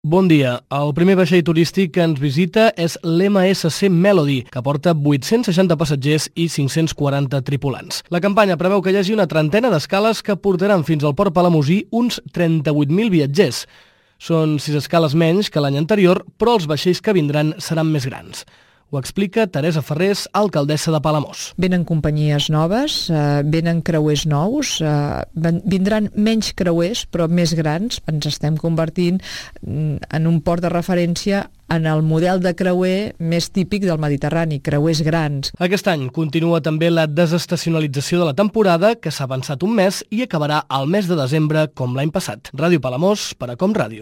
Bon dia. El primer vaixell turístic que ens visita és l'MSC Melody, que porta 860 passatgers i 540 tripulants. La campanya preveu que hi hagi una trentena d'escales que portaran fins al port palamosí uns 38.000 viatgers. Són 6 escales menys que l'any anterior, però els vaixells que vindran seran més grans. Ho explica Teresa Ferrés, alcaldessa de Palamós. Venen companyies noves, venen creuers nous, vindran menys creuers però més grans. Ens estem convertint en un port de referència en el model de creuer més típic del Mediterrani, creuers grans. Aquest any continua també la desestacionalització de la temporada, que s'ha avançat un mes i acabarà al mes de desembre com l'any passat. Ràdio Palamós, per a Com Ràdio.